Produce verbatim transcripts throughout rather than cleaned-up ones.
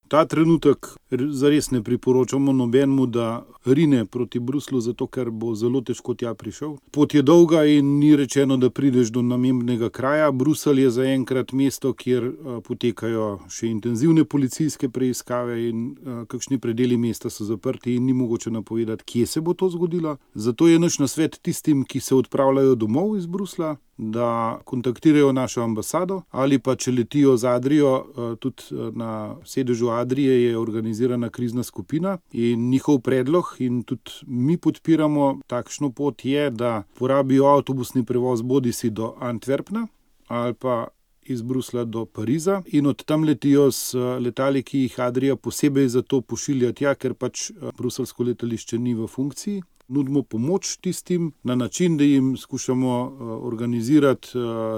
Ta trenutek zares ne priporočamo nobenemu, da rine proti Bruslju, zato ker bo zelo težko tja prišel. Pot je dolga in ni rečeno, da prideš do namembnega kraja. Bruselj je zaenkrat mesto, kjer potekajo še intenzivne policijske preiskave in kakšni predeli mesta so zaprti in ni mogoče napovedati, kje se bo to zgodilo. Zato je naš nasvet tistim, ki se odpravljajo domov iz Bruslja, da kontaktirajo našo ambasado ali pa če letijo z Adrio, tudi na sedežu Adrie je organizirana krizna skupina in njihov predlog in tudi mi podpiramo takšno pot je, da porabijo avtobusni prevoz bodisi do Antwerpna ali pa iz Bruslja do Pariza in od tam letijo s letali, ki jih Adria posebej za to pošilja tja, ker pač bruseljsko letališče ni v funkciji. Nudimo pomoč tistim na način, da jim skušamo organizirati,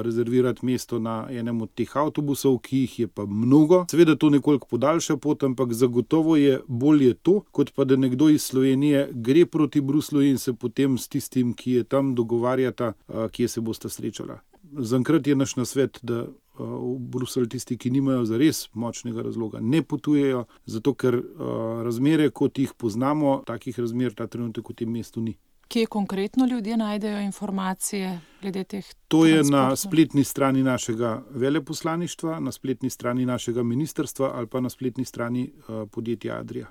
rezervirati mesto na enem od teh avtobusov, ki jih je pa mnogo. Seveda to nekoliko podaljša pot, ampak zagotovo je bolje to, kot pa da nekdo iz Slovenije gre proti Bruslju in se potem s tistim, ki je tam, dogovarjata, kje se bosta srečala. Zaenkrat je naš nasvet, da v Bruselj tisti, ki nimajo zares močnega razloga, ne potujejo, zato ker razmere, kot jih poznamo, takih razmer ta trenutek v tem mestu ni. Kje konkretno ljudje najdejo informacije glede teh? To je na spletni strani našega veleposlaništva, na spletni strani našega ministrstva ali pa na spletni strani podjetja Adria.